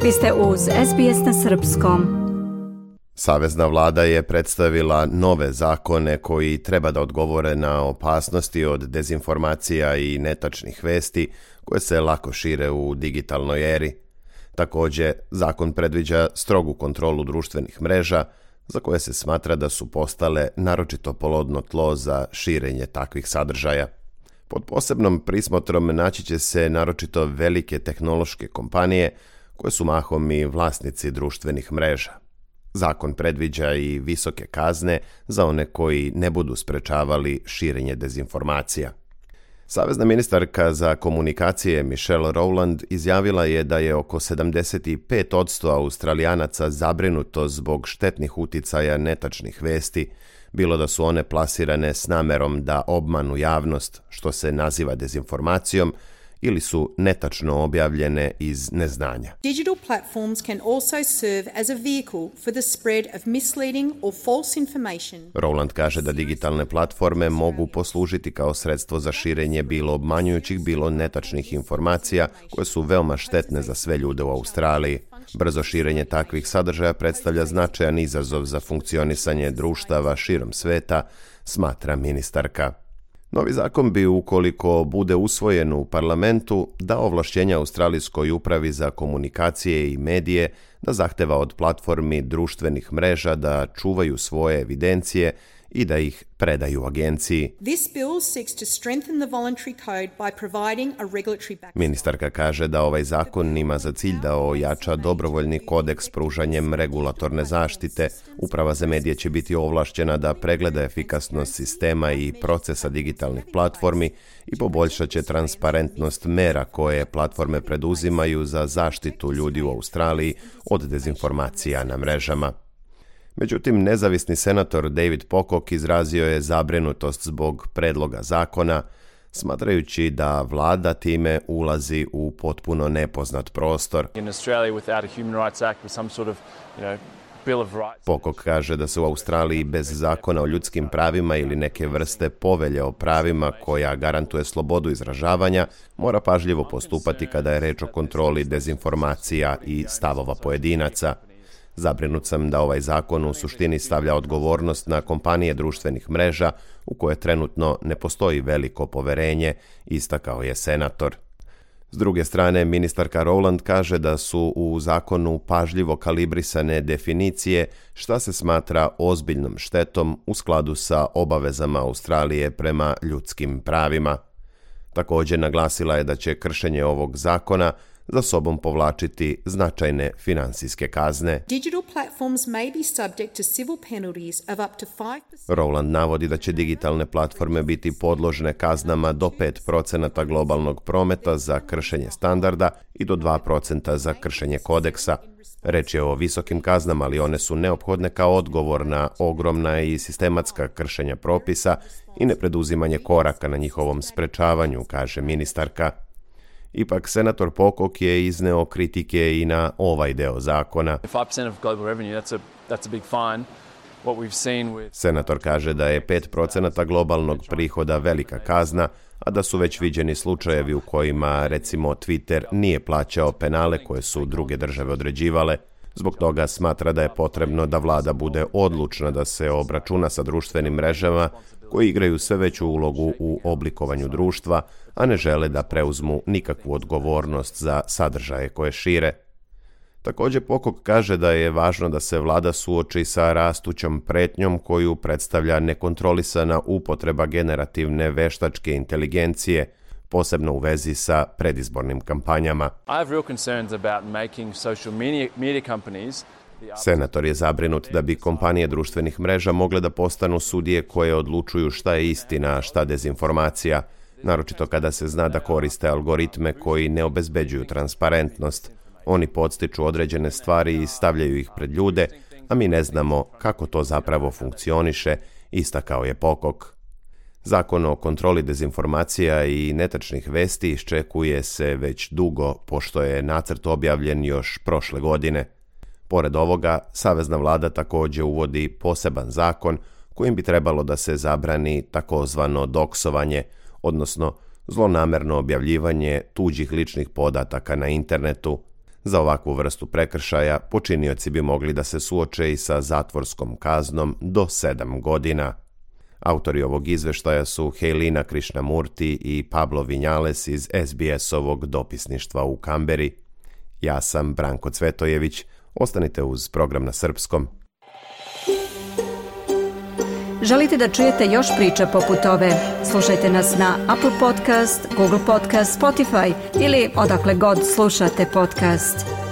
Vi ste uz SBS na srpskom. Savezna vlada je predstavila nove zakone koji treba da odgovore na opasnosti od dezinformacija i netačnih vesti koje se lako šire u digitalnoj eri. Također, zakon predviđa strogu kontrolu društvenih mreža za koje se smatra da su postale naročito plodno tlo za širenje takvih sadržaja. Pod posebnom prismotrom naći će se naročito velike tehnološke kompanije koje su mahom i vlasnici društvenih mreža. Zakon predviđa i visoke kazne za one koji ne budu sprečavali širenje dezinformacija. Savezna ministarka za komunikacije Michelle Rowland izjavila je da je oko 75% Australijanaca zabrinuto zbog štetnih uticaja netačnih vesti, bilo da su one plasirane s namerom da obmanu javnost, što se naziva dezinformacijom, ili su netačno objavljene iz neznanja. Digital platforms can also serve as a vehicle for the spread of misleading or false information. Rowland kaže da digitalne platforme mogu poslužiti kao sredstvo za širenje bilo obmanjujućih, bilo netačnih informacija koje su veoma štetne za sve ljude u Australiji. Brzo širenje takvih sadržaja predstavlja značajan izazov za funkcionisanje društava širom sveta, smatra ministarka. Novi zakon bi, ukoliko bude usvojen u parlamentu, dao ovlašćenja Australijskoj upravi za komunikacije i medije da zahteva od platformi društvenih mreža da čuvaju svoje evidencije i da ih predaju agenciji. This bill seeks to strengthen the voluntary code by providing a regulatory backstop. Ministarka kaže da ovaj zakon ima za cilj da ojača dobrovoljni kodeks pružanjem regulatorne zaštite. Uprava za medije će biti ovlašćena da pregleda efikasnost sistema i procesa digitalnih platformi i poboljšat će transparentnost mera koje platforme preduzimaju za zaštitu ljudi u Australiji od dezinformacija na mrežama. Međutim, nezavisni senator David Pocock izrazio je zabrinutost zbog predloga zakona, smatrajući da vlada time ulazi u potpuno nepoznat prostor. Pocock kaže da se u Australiji bez zakona o ljudskim pravima ili neke vrste povelje o pravima koja garantuje slobodu izražavanja mora pažljivo postupati kada je reč o kontroli dezinformacija i stavova pojedinaca. Zabrinut sam da ovaj zakon u suštini stavlja odgovornost na kompanije društvenih mreža u koje trenutno ne postoji veliko poverenje, istakao je senator. S druge strane, ministarka Rowland kaže da su u zakonu pažljivo kalibrisane definicije šta se smatra ozbiljnom štetom u skladu sa obavezama Australije prema ljudskim pravima. Također naglasila je da će kršenje ovog zakona za sobom povlačiti značajne finansijske kazne. Digital platforms may be subject to civil penalties of up to 5%. Rowland navodi da će digitalne platforme biti podložne kaznama do 5% globalnog prometa za kršenje standarda i do 2% za kršenje kodeksa. Reč je o visokim kaznama, ali one su neophodne kao odgovor na ogromna i sistematska kršenja propisa i nepreduzimanje koraka na njihovom sprečavanju, kaže ministarka. Ipak, senator Pocock je izneo kritike i na ovaj deo zakona. Senator kaže da je 5% globalnog prihoda velika kazna, a da su već viđeni slučajevi u kojima, recimo, Twitter nije plaćao penale koje su druge države određivale. Zbog toga smatra da je potrebno da vlada bude odlučna da se obračuna sa društvenim mrežama koji igraju sve veću ulogu u oblikovanju društva, a ne žele da preuzmu nikakvu odgovornost za sadržaje koje šire. Također Pocock kaže da je važno da se vlada suoči sa rastućom pretnjom koju predstavlja nekontrolisana upotreba generativne veštačke inteligencije, posebno u vezi sa predizbornim kampanjama. Senator je zabrinut da bi kompanije društvenih mreža mogle da postanu sudije koje odlučuju šta je istina, a šta dezinformacija, naročito kada se zna da koriste algoritme koji ne obezbeđuju transparentnost. Oni podstiču određene stvari i stavljaju ih pred ljude, a mi ne znamo kako to zapravo funkcioniše, istakao je Pocock. Zakon o kontroli dezinformacija i netačnih vesti iščekuje se već dugo, pošto je nacrt objavljen još prošle godine. Pored ovoga, savezna vlada također uvodi poseban zakon kojim bi trebalo da se zabrani takozvano doksovanje, odnosno zlonamerno objavljivanje tuđih ličnih podataka na internetu. Za ovakvu vrstu prekršaja počinioci bi mogli da se suoče i sa zatvorskom kaznom do 7 godina. Autori ovog izveštaja su Helena Krishnamurti i Pablo Vinjales iz SBS-ovog dopisništva u Kamberi. Ja sam Branko Cvetojević. Ostanite uz program na srpskom. Želite da čujete još priča poput ove? Slušajte nas na Apple Podcast, Google Podcast, Spotify ili odakle god slušate podcast.